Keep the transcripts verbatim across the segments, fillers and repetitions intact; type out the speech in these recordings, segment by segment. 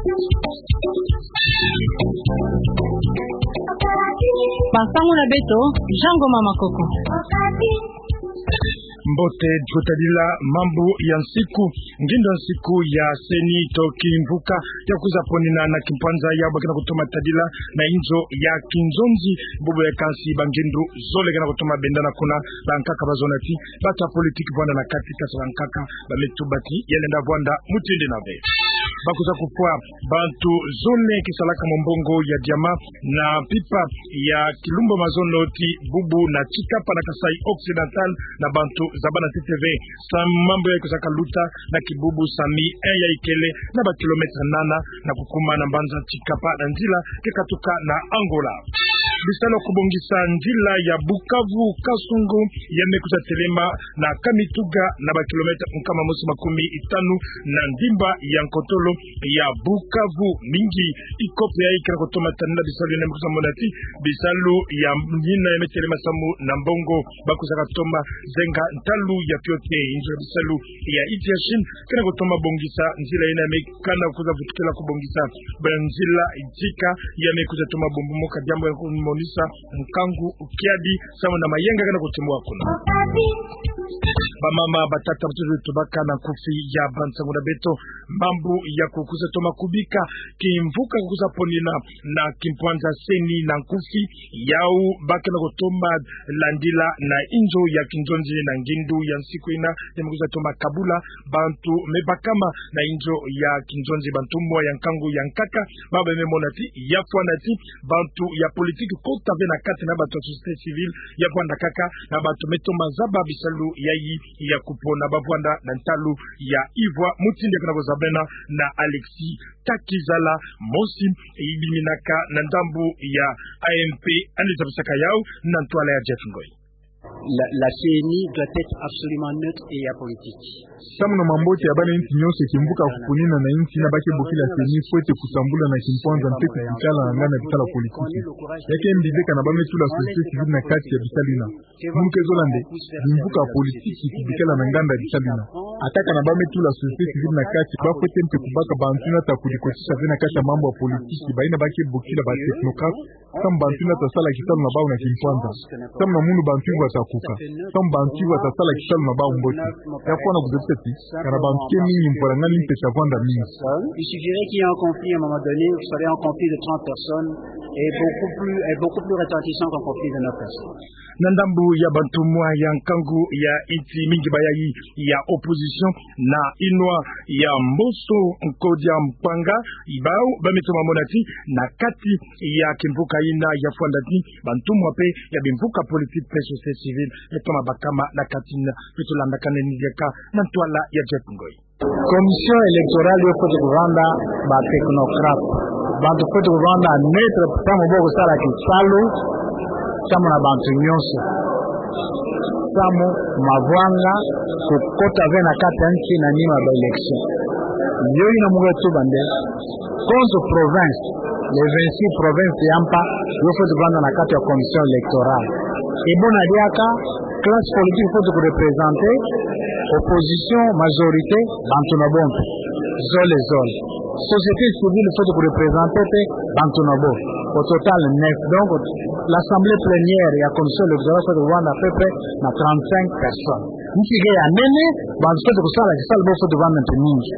Ba nsangu na beto, Jean Ngoma Makoko. Mbote, tukutadila mambu ya nsiku, ngindu ya nsiku ya CENI to kimvuka ya kwiza ponina na kimpwanza ya ba ke na kutoma tadila na inzo ya kinzonzi, bubu ya kansi ba ngindu zole ke na kutoma bendana kuna, bankaka bazona ti bato ya politiki vwanda na kati, kasi bankaka ba me tuba ti ya lenda vwanda mutindu ina ve. Ba kwiza kufwa bantu zole ke salaka mombongo ya diamant na mpimpa ya kilumbu ya mazono ti bubu na Tshikapa na Kasaï Occidental, na bantu zabana ntete ve, samu mambu ya kwiza kaluta na kibubu sami un ya ikele na ba kilomètre nana, na kukuma na mbanza Tshikapa na nzila ke katuka na Angola. Bisalu ya kubongisa nzila ya Bukavu Kasungu ya me kwiza telema na Kamituga, na ba kilomètre nkama mosi makumi tanu na ndimba ya nkotolo ya Bukavu. Mingi ikope ya ikira kutoma tanina bisalu yina, me kwiza mona ti bisalu ya yina ya me telema samu na mbongo ba kwiza katoma zenga ntalu ya piote. Inzo ya bisalu ya insi ya Chine ke na kutoma bongisa nzila yina, me kana kwiza vutukila kubongisa ba nzila ntsika ya me kwiza toma bumbu moka, diambu ya kumonisa nkangu, kiadi, samu na mayenga ke na kutimuka kuna. Bamama, batata, batutu tubaka na nkufi ya ba nsangu na beto, mambu ya kukwiza toma kubika kimvuka kukwiza ponina na kimpwanza CENI na nkufi yau ba ke na kutoma landila na inzo ya kinzonzi na ngindu ya nsiku ina, ya me kwiza toma kabula bantu me bakama na inzo ya kinzonzi, bantumwa ya nkangu ya nkaka, ba ba me mona ti ya fwana ti bantu ya politiki kota ve na kati na bantu ya société civile ya vwanda kaka na bantu me toma zaba bisalu yayi ya kupona. Ba vwanda na ntalu ya Ivoire, mutindu ya ke na kuzabena na Alexis Takizala, mosi ibiminaka na ndambu ya A M P, ani zabisaka yau na ntwala ya Jeff Ngoy. La, la CENI doit être absolument neutre et apolitique. Samu na mambote ya bana insi nyonso, kimvuka kuponina na insi ina ba ke bokila CENI fwete kusambula na kimpwanza mpete kikala na nganda bisalu ya politiki. Ya ke mbi beka na ba me tula société civile na kati ya bisalu ina. Munu ke zola nde, bimvuka politiki kubikala na nganda bisalu ina. Ata kana ba me tula société civile na kati, ba fwete mpe kubaka bantu ina ta kudikotisa ve na kati ya mambu ya politiki, bayina ba ke bokila ba technocrates, samu bantu ina ta sala kisalu na bau na kimpwanza. Samu na munu bantu Ivoire ta kuka. Samu bantu Ivoire ta sala kisalu na bau mbote. Ya fwana kuzabisa ti, kana bantu ke mingi, mpwala ngani mpe ta vwanda mingi. Il suffirait qu'il y ait un conflit à un moment donné, vous savez, un conflit de trente personnes est beaucoup plus, est beaucoup plus retentissant qu'un conflit de neuf personnes. Na ndambu ya bantumwa ya nkangu ya insi, mingi bayayi ya opposition na inwa ya Mboso Nkodia Mpanga, bau ba me toma mona ti na kati ya kimvuka ina ya fwanda ti bantumwa mpe ya bimvuka politiki mpe société civile me toma bakama na kati na. Beto landakane ni diaka na ntwala ya Jeff Ngoy. Commission électorale yo fwete kuvanda ba technocrates. Bantu fwete kuvanda neutre, samu bo kusala kisalu samu na bantu nyonso. Samu mavwanga kukota ve na kati ya insi na nima ba élection. Yo yina mu ke tuba nde, konso province, les vingt-six provinces ya mpa, yo fwete kuvanda na kati ya commission électorale. E buna diaka, classe politique fwete kureprésenter, opposition, majorité, bantu na bo mpe. Zole zole. Société civile fwete kureprésenter mpe bantu na bo. Au total, neuf. Donc, l'assemblée plénière ya commission électorale fwete kuvanda à peu près na trente-cinq personnes. Insi ke ya nene, bantu fwete kusala kisalu bo fwete kuvanda mpe mingi.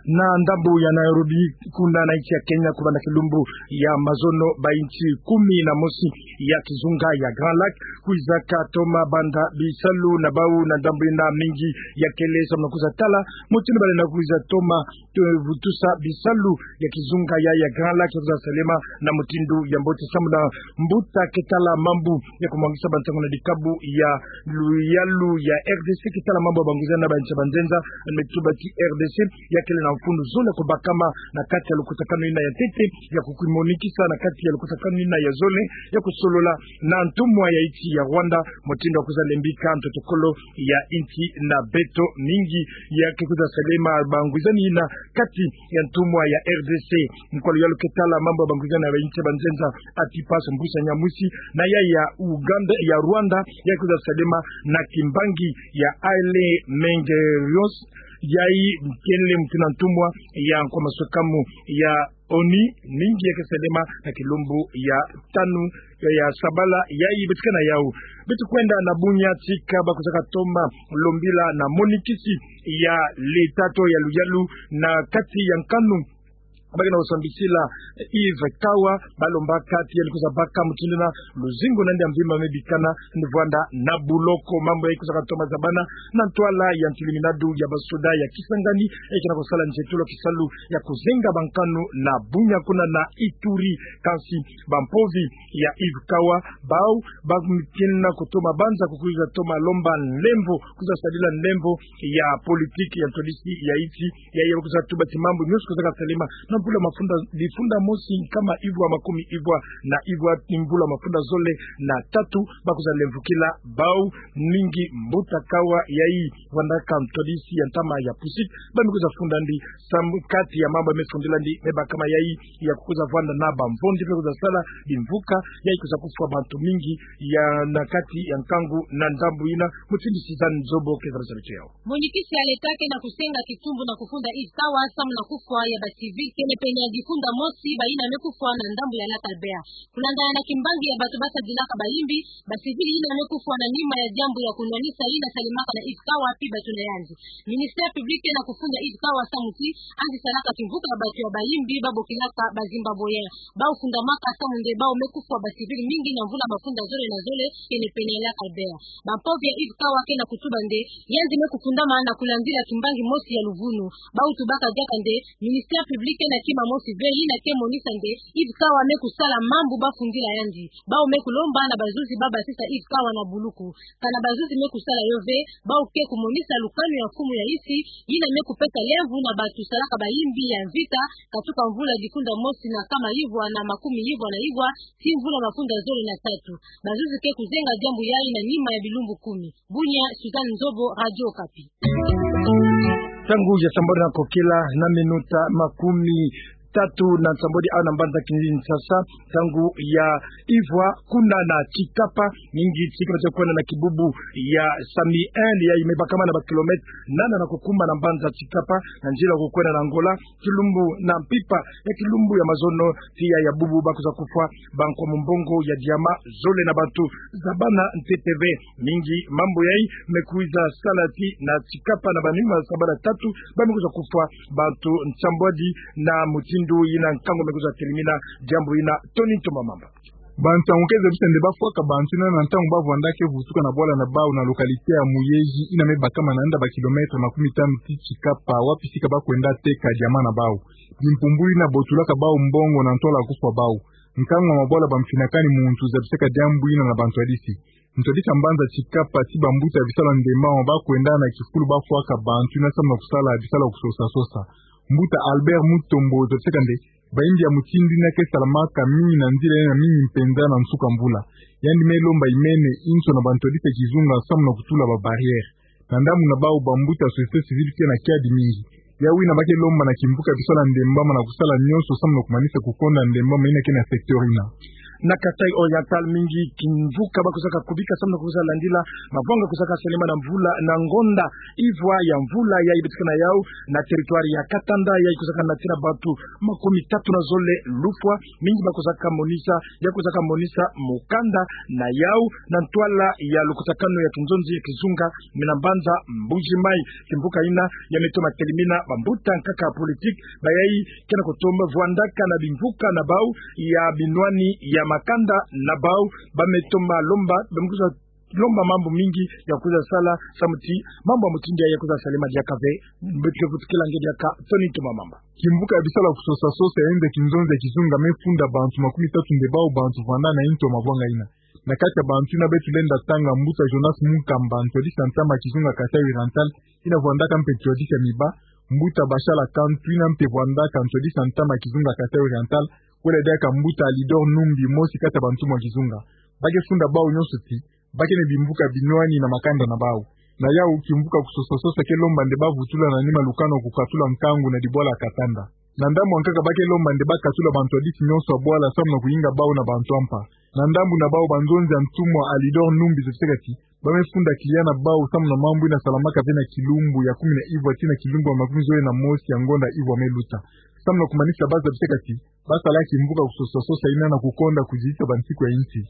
Na ndambu ya Nairobi, kuna na insi ya Kenya, kubanda kilumbu ya mazono, ba insi kumi na mosi ya kizunga ya Grand Lac kwiza katoma banda bisalu na bau. Na ndambu ina, mingi ya kele samu na kwiza tala mutindu ba lenda kwiza toma, eh, vutusa bisalu ya kizunga ya, ya Grand Lac ya kwiza salema na mutindu ya mbote, samu na mbuta ke tala mambu ya kumwangisa bansangu na dikabu ya luyalu ya R D C ke tala mambu ya bangwizani na ba insi ya banzenza, me tuba ti R D C ya kele na mfunu zole ya kubakama na kati ya lukutakanu ina ya ntete, ya kukimonikisa na kati ya lukutakanu ina ya zole, ya kusolola na ntumwa ya insi ya Rwanda, mutindu ya kwiza lembika ntotokolo ya insi na beto. Mingi ya ke kwiza salema bangwizani ina kati ya ntumwa ya R D C. Mukwalu yalu ke tala mambu ya bangwizani na ba insi ya banzenza, Antipas Mbusa Nyamwisi, na ya ya Uganda, ya Rwanda, ya kwiza salema na kimbangi ya Haile Mengerios, Yayi kele mutindu na ntumwa ya nkwa maswekamu ya ONU, mingi ya ke salema na kilumbu ya tanu ya sabala yayi betikana yau. Beto kwenda na bunya tika ba kwizaka toma lombila na monikisi ya leta to ya luyalu na kati ya nkanu ba ke na kusambisila Yves Kawa, ba lombaka ti yandi kwiza baka mutindu na luzingu na yandi ya mvimba me bikana, yandi vwanda na buloko. Mambu yayi kwizaka toma zabana na ntwala ya ntiliminadu ya basoda ya Kisangani, yayi ke na kusala nzietolo kisalu ya kuzenga bankanu na bunya kuna na Ituri. Kansi bampovi ya Yves Kawa, bau ba mutindu na kutoma banza kukwiza toma lomba nlemvo, kwiza sadila nlemvo ya politiki ya ntwadisi ya insi, yayi ba kwiza tuba ti mambu nyonso kwizaka salema na mvula mafunda, difunda mosi nkama ivwa makumi ivwa na ivwa, ni mvula mafunda zole na tatu, ba kwiza lemvokila bau. Mingi Mbuta Kawa yayi vwandaka ntwadisi ya ntama ya PUSIP, ba me kwiza funda ndi samu kati ya mambu me fundila ndi me bakama yayi ya kukwiza vwanda na bamvondi pe kwiza sala bimvuka, yayi kwiza kufwa bantu mingi ya na kati ya nkangu na ndambu yina. Mutindu Suzanne Nzobo ke zabasala beto yau. Monikisi ya leta ke na kusenga kitumbu na kufunda Yves Kawa samu na kufwa ya ba civil kene pene ya difunda mosi bayina me kufwa na ndambu ya Lac Albert. Kulandana na kimbangi ya bato ba sadilaka bayimbi, ba civil yina me kufwa na nima ya diambu ya kunwanisa yina salemaka na Yves Kawa pi bato na yandi. Ministère public ke na kufunda Yves Kawa samu ti yandi salaka kimvuka ya bato ya bayimbi ba bokilaka ba Zimbabwéens. Bau fundamaka samu nde bau me kufwa ba civil mingi na mvula mafunda zole na zole kene pene ya Lac Albert. Bampovi ya Yves Kawa ke na kutuba nde yandi me kufundama na kulandila kimbangi mosi ya luvunu. Bau tubaka diaka nde ministère public ke na kima mosi ve yina ke monisa nde Yves Kawa me kusala mambu ba fundila yandi. Bau me kulomba na bazuzi ba basisa Yves Kawa na buluku. Kana bazuzi me kusala yo ve, bau ke kumonisa lukanu ya mfumu ya insi yina me kupesa lemvo na bato salaka bayimbi ya mvita, katuka mvula difunda mosi na nkama ivwa na makumi ivwa na ivwa ti mvula mafunda zole na tatu. Bazuzi ke kuzenga diambu yayi na nima ya bilumbu kumi. Bunia, Suzanne Nzobo, Radio Okapi. Ntangu ya sambodi na kokela na minuta makumi tatu na nsambodi awa na mbanza Kinshasa, ntangu ya ivwa kuna na Tshikapa, mingi tika beto kwenda na kibubu ya Sami un, yayi me bakama na ba kilomètre nana na kukuma na mbanza Tshikapa, na nzila kukwenda na Angola, kilumbu na mpimpa ya kilumbu ya mazono tiya ya bubu ba kwiza kufwa bankwa mumbongo ya diamant zole na bantu zabana ntete ve. Mingi mambu yayi me kwiza sala ti na Tshikapa na banima sabala tatu ba me kwiza kufwa bantu nsambwadi na mutindu yina nkangu me kwiza telimina. Diambu yina Tony Ntomba Mamba. Bansangu ke zabisa nde ba fwaka bantu yina na ntangu ba vwandaka vutuka na bwala na bau na localité ya Muyeji, yina me bakama na nda ba kilomètre makumi tanu ti Tshikapa, wapi sika ba kwenda teka diamant na bau. Bimpumbulu yina botulaka bau mbongo na ntwala kufwa bau. Nkangu wa mabwala ba mfinakani muntu zabisaka diambu yina na bantwadisi. Ntwadisi ya mbanza Tshikapa ti bambuta ya bisalu ya ndemba ba kwenda na kifulu ba fwaka bantu yina samu na kusala bisalu ya kusosa sosa. Mbuta Albert Mutombo zabisaka nde bayimbi ya mutindu yina ke salamaka mingi na nzila yina mingi mpenza na nsuka mvula. Yandi me lomba imene inso na bantwadisi ya kizunga samu na kutula ba barrière. Na ndambu na bau, bambuta ya société civile ke na kiadi mingi. Yawu yina ba ke lomba na kimvuka ya bisalu ya ndemba na kusala nyonso samu na kumanisa kukonda ndemba yina ke na secteur yina. Na Kasaï Oriental, mingi kimvuka ba kwizaka kubika samu na kwiza landila mavanga kwizaka salema na mvula, na ngonda ivwa ya mvula yayi betikana yawu, na territoire ya Katanda, yayi kwizaka natina bantu makumi tatu na zole lufwa. Mingi ba kwizaka monisa, ya kwizaka monisa mukanda na yawu na ntwala ya lukutakanu ya kinzonzi ya kizunga, mena mbanza Mbuji Mayi. Kimvuka yina ya me toma telimina bambuta nkaka ya politique, bayayi ke na kutoma vwandaka na bimvuka na bau ya binwani ya makanda na bau, ba me toma lomba, ba me kwiza lomba mambu mingi ya kwiza sala, samu ti mambu ya mutindu yayi ya kwiza salema diaka ve. Beto ke vutukila nge diaka Tony Ntomba Mamba. Kimvuka ya bisalu ya kusosa sosa ya inzo ya kinzonzi ya kizunga me funda bantu makumi tatu nde bau bantu vwanda na inzo ya mavanga yina. Na kati ya bantu yina beto lenda tanga, mbuta Jonas Munkamba, ntwadisi ya ntama ya kizunga Kasaï Oriental, yina vwandaka mpe ntwadisi ya miba, mbuta Bashala Kantu, yina mpe vwandaka ntwadisi ya ntama ya kizunga Kasaï Oriental, wele diaka mbuta Alidor Numbi, mosi kati ya bantumwa ya kizunga. Ba ke funda bau nyonso ti ba ke na bimvuka binwani na makanda na bau. Na yawu, kimvuka kusosa sosa ke lomba nde ba vutula na nima lukanu ya kukatula nkangu na dibwala ya Katanda. Na ndambu ya nkaka, ba ke lomba nde ba katula bantwadisi nyonso ya bwala samu na kuyinga bau na bantu ya mpa. Na ndambu na bau, banzonzi ya ntumwa Alidor Numbi zotisaka ti ba me funda client na bau samu na mambu ina salamaka ve na kilumbu ya kumi na ivwa tii na kilumbu ya makumi zole na mosi ya ngonda ivwa me luta. Samu na kumanisa, ba zabisaka ti ba sala kimvuka kusosa sosa ina na kukonda kudisa bansiku ya insi.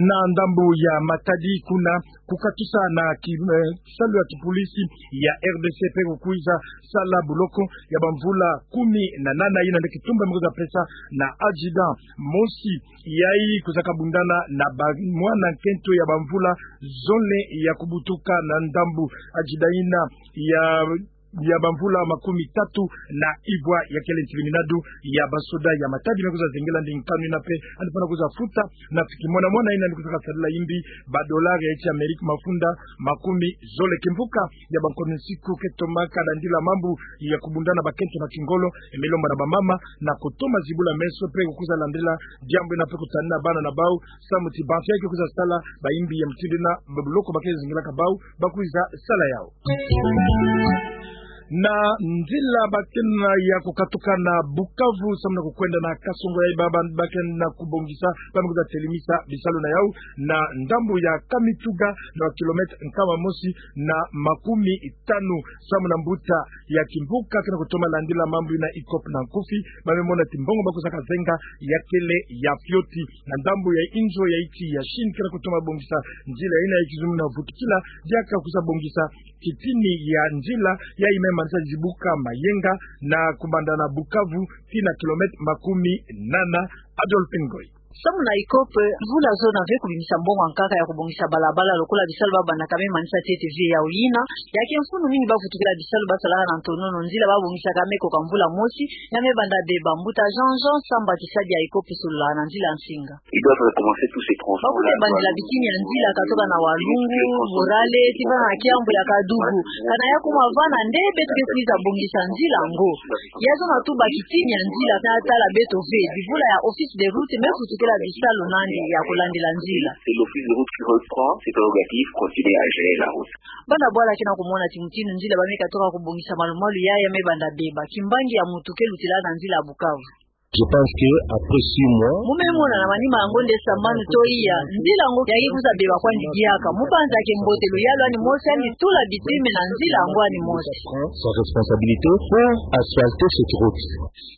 Na ndambu ya Matadi kuna, kukatusa na ki, eh, salu ya kipolisi ya R D C pe kukwiza sala boloko ya bamvula kumi na nana, ina nde kitumba me kwiza pesa na adjudant mosi yayi kwizaka bundana na ba mwana nkento ya bamvula zole ya kubutuka na ndambu. Adjudant ina ya ya bamvula makumi tatu na ivwa ya kele ntiliminadu ya basoda ya Matadi me kwiza zengela ndi nkanu ina pe, yandi fana kwiza futa na fiki mwana mwana ina ndi kwizaka sadila imbi ba dolari ya insi ya Amerika mafunda makumi zole. Kimvuka ya bankono nsiku ke tomaka landila mambu ya kubundana bakento na kingolo, e me lomba na bamama na kutoma zibula meso pe kukwiza landila diambu ina pe kutanina bana na bau, samu ti bantu yayi ke kwiza sala ba imbi ya mutindu ina ba boloko ba ke zengelaka bau, ba kwiza sala yau. Na nzila ba kena ya kukatuka na Bukavu samu na kukwenda na Kasongo yayi ba, ba, ba kena kubongisa, ba me kwiza telimisa bisalu na yau na ndambu ya Kamituga na kilometre nkama mosi na makumi tanu samu na mbuta ya kimvuka kena kutoma landila mambu ina ICOP na nkufi, ba me mona ti mbongo ba kwizaka zenga ya kele ya fioti. Na ndambu ya inzo ya insi ya Chine kena kutoma bongisa nzila ina ya kizungu na vutukila, diaka kwiza bongisa kitini ya nzila yayi me manisa zibuka Mayenga na kubanda na Bukavu tii na kilometre makumi nana. Adolphe Ngoyi. Samu na ICOP, mvula zona ve kubimisa mbongo ya nkaka ya kubongisa balabala lokola bisalu ba bandaka me manisa ntete vie yau ina. Ya ke mfunu mingi ba vutukila bisalu ba salaka na ntonono, nzila ba bongisaka me koka mvula mosi, ya me banda beba. Mbuta Jean Jean Samba, tisadi ya ICOP, sololaka na nzila ya nsinga. Ils doivent recommencer tous ces travaux. Ba kwiza bandila bitini ya nzila katoka na Walungu, Borale, tii vana na kiambu ya Kadugu. Kana ya kuma vana nde beto ke kwiza bongisa nzila yango. Ya zona tu ba kitini ya nzila, na tala beto ve, bivula ya Office des routes me vutukila bisalu nandi ya kulandila nzila. C'est l'office de route qui reprend ses prérogatives, continuer à gérer la route. Banda bwala kena kumona ti mutindu nzila ba me katuka kubongisa malu-malu ya, ya me banda beba. Kimbangi ya mutu ke lutila na nzila ya Bukavu. Je pense que après six mois, mu me mona na manima ya ngonda sambanu to iya, nzila yango ya ke kwiza beba kwandi diaka. Mubanza ke mbote luyalu ani mosi, yandi tula bitume na nzila yango ani mosi. Prend sa responsabilité pour asphalter cette route.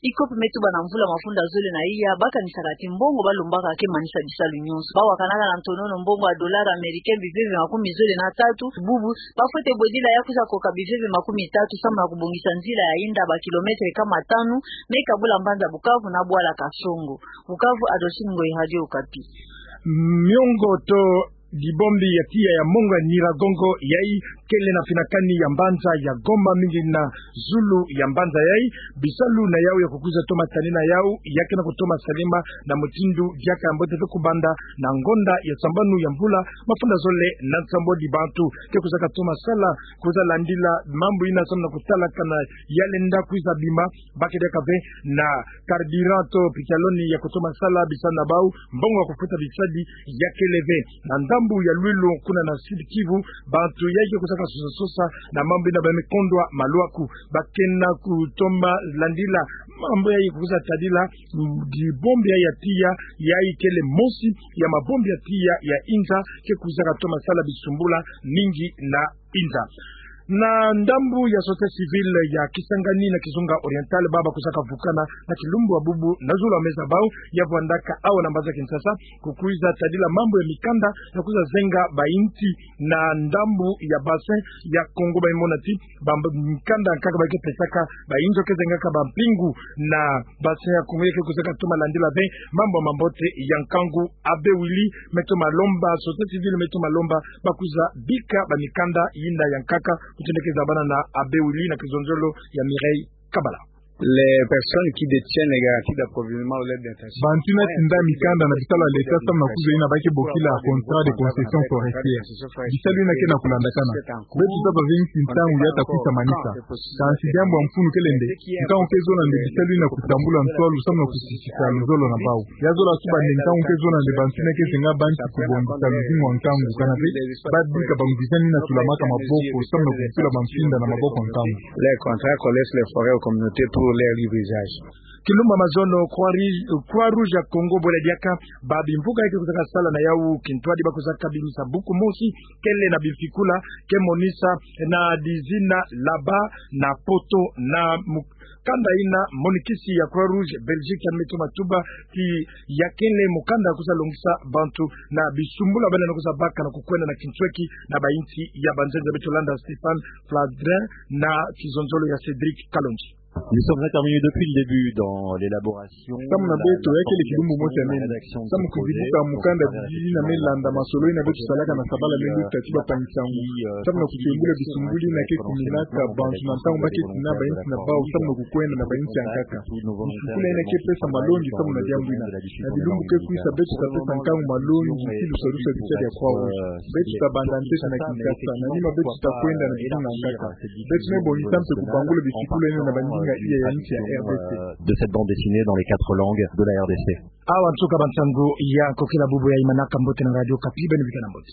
ICOP me tuba na mvula mafunda zole na iya, ba kanisaka ti mbongo ba lombaka ke manisa bisalu nyonso. Ba wakanaka na ntonono mbongo ya dollar américain biveve makumi zole na tatu. Bubu, ba fwete bwedila ya kwiza koka biveve makumi tatu samu na kubongisa nzila ya inda ba kilometre kama tanu, me kabula mbanza Bukavu na bwala Kasongo. Bukavu, Adolphine Ngoyi, Radio Okapi. Miongo to dibombi ya tiya ya mongo ya Nyiragongo yayi kele na finakani ya mbanza ya Goma, mingi na zulu ya mbanza yayi. Bisalu na yau ya kukwiza toma tanina yau ya kena kutoma salema na mutindu diaka ya mbote ve kubanda na ngonda ya sambanu ya mvula mafunda zole na nsambwadi. Bantu ke kwizaka toma sala kwiza landila mambu ina samu na kutalakana ya lenda kwiza bima. Ba ke diaka ve na carburant to pitaloni ya kutoma sala, bisalu na bau, mbongo ya kufuta bisadi ya kele ve. Na ndambu ya Lwilu kuna na Sud Kivu, bantu yayi ke kwizaka sosa-sosa na mambu ina ba me kondwa maluaku. Ba kena kutoma landila mambu yayi ke kwiza tadila, mm, dibombi ya tiya yayi kele mosi ya mabombi ya tiya ya inza ke kwizaka toma sala bisumbula mingi na inza. Na ndambu ya société civile ya Kisangani na Kizunga Oriental, ba ba kwizaka vukana na kilumbu ya bubu na zulu ya meza bau ya vwandaka awa na mbanza Kinshasa, kukwiza tadila mambu ya mikanda ya kwiza zenga ba insi na ndambu ya bassin ya Congo. Ba me mona ti ba mb-, mikanda ya nkaka ba ke pesaka ba inzo ke zengaka ba mpingu na bassin ya Congo ya ke kwizaka toma landila ve mambu ya mambote ya nkangu. Abbé Willy me toma lomba, société civile me toma lomba ba kwiza bika ba mikanda yina ya nkaka, kutu nde ke zabana na Abbé Willy na kizonzolo ya Mireille Kabala. Les personnes qui détiennent les garanties d'approvisionnement ou l'aide d'intention. Bantu ina tinda mikanda na bisalu ya leta samu na kwiza yina ba ke bokila contrat de concession forestière. Bisalu yina ke na kulandakana. Beto taba ve nki ntangu ya ta kwisa manisa. Kansi diambu ya mfunu kele nde, ntangu ke zola nde bisalu yina kutambula nswalu samu na kusisisa luzolo na bau. Ya zola suba nde ntangu ke zola nde bantu ina ke zenga bantu kubongisa luzingu ya nkangu, kana ve ba bika bangwizani ina tulamaka maboko samu na kukutula bamfinda na maboko ya nkangu. Les contrats qu'on laisse les forêts aux communautés pour leur libre usage. Kilumbu ya mazono, Croix Rouge, Croix Rouge ya Congo bwela diaka ba bimvuka ya ke kusaka sala na yawu kintwadi ba kusaka bimisa buku mosi kele na bifikula ke monisa na dizina laba na poto na mukanda ina monikisi ya Croix Rouge Belgique ya Meteo Matuba ti ya kele mukanda kusa longisa bantu na bisumbulu bena na kusa baka na kukwenda na kintweki na ba insi ya banzenza. Beto landa Stéphane Flandrin na kizonzolo ya Cédric Kalonji. Nous sommes intervenus depuis le début dans l'élaboration. Samu na beto, ya kele kilumbu mosi ya nene. Samu kuzibuka mukanda didi na me landa masolo ina beto salaka na sabala lelu tati ba pangi nsangu. Samu na kutembula bisumbulu ina ke kuminaka bantu na ntangu ba ke tina ba insi na bau, samu na kukwenda na ba insi ya nkaka. Bifikula ina ke pesa malongi samu na diambu ina. Na bilumbu ke kwisa beto ta pesa nkangu malongi ti lusalusa bikadi ya Croix Rouge. Beto ta banda ntete na Kinshasa, na nima beto ta kwenda na bitu na nkaka. Beto me bongisa mpe kubangula bifikula ina na ba ndinga iya ya insi ya R D C. De cette bande dessinée dans les quatre langues de la R D C. Awa nsuka ba nsangu ya nkokila bubu ya imanaka. Mbote na Radio Okapi, beno bikana mbote.